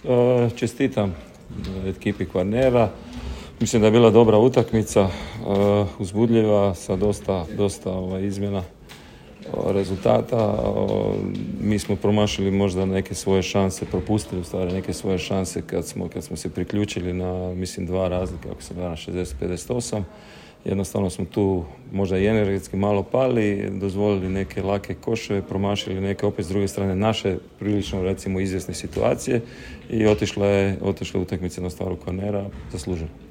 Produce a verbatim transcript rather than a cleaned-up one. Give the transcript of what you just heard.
E, čestitam ekipi Kvarnera. Mislim da je bila dobra utakmica, e, uzbudljiva, sa dosta, dosta ovaj, izmjena rezultata. Mi smo promašili možda neke svoje šanse, propustili u stvari neke svoje šanse kad smo, kad smo se priključili na, mislim, dva razlike, ako se gleda na šezdeset pedeset osam. Jednostavno smo tu možda i energetski malo pali, dozvolili neke lake koševe, promašili neke opet s druge strane naše prilično recimo izvjesne situacije i otišla je, otišla je utakmica na stvaru Kvarnera zasluženo.